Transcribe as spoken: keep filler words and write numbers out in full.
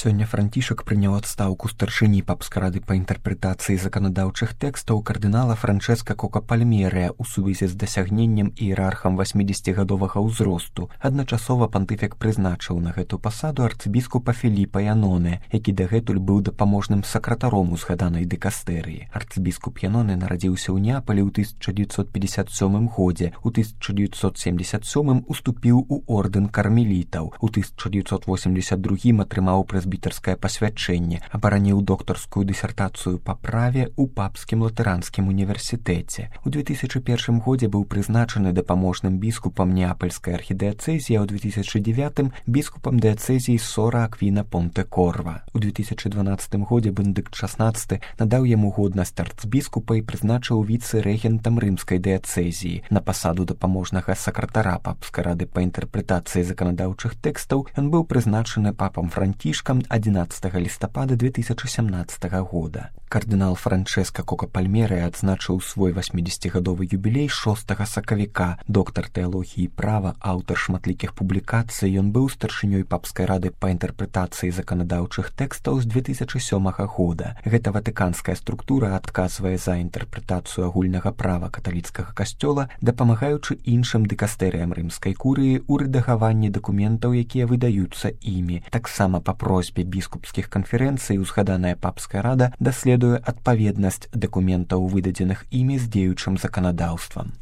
Сёння Францішак прыняў адстаўку старшыні папскай рады па інтэрпрэтацыі заканадаўчых тэкстаў кардынала Франчэска Кока-Пальмерыя ў сувязі з дасягненнем іерархам васьмідзесяцігадовага ўзросту. Адначасова пантыфік прызначыў на гэту пасаду арцыбіскупа Філіпа Яноне, які дагэтуль быў дапаможным сакратаром у згаданай дыкастэрыі. Арцыбіскуп Яноне нарадзіўся ў Неапалі ў тысяча дзевяцьсот пятьдесят сёмым годзе. У тысяча дзевяцьсот семьдесят сёмым уступіў у ордэн кармелітаў. У тысяча дзевяцьсот восемьдесят другім атрымаў прэзбітарскае пасвячэнне, абараніў доктарскую дысертацыю па праве ў папскім лутэранскім універсітэце. У две тысячы першым годзе быў прызначаны дапаможным біскупам Неапальскай архідыяцэзіі, а ў две тысячы дзевятым біскупам дыяцэзіі Сора Аквіна Понте-Корва. У две тысячы дванаццатым годзе Бенедыкт шаснаццаты надаў яму годнасць арцбіскупа і прызначыў віцэ-рэгентам рымскай дыяцэзіі. На пасаду дапаможнага сакратара папскай рады па інтэрпрэтацыі заканадаўчых тэкстаў ён быў прызначаны папам Францішкам адзінаццатага лістапада две тысячы сямнаццатага года. Кардынал Франчэска Кока-Пальмерыя адзначыў свой васьмідзесяцігадовы юбілей шостага сакавіка. Доктар тэалогіі і права, аўтар шматлікіх публікацый, ён быў старшынёй папскай рады па інтэрпрэтацыі заканадаўчых тэкстаў з две тысячы сёмага года. Гэта ватыканская структура адказвае за інтэрпрэтацыю агульнага права каталіцкага касцёла, дапамагаючы іншым дыкастэрыям рымскай курыі ў рэдагаванні дакументаў, якія выдаюцца імі. Таксама па просьбе біскупскіх канферэнцый узгаданая папская рада даследуе адпаведнасць дакументаў, выдадзеных імі з дзеючым заканадаўствам.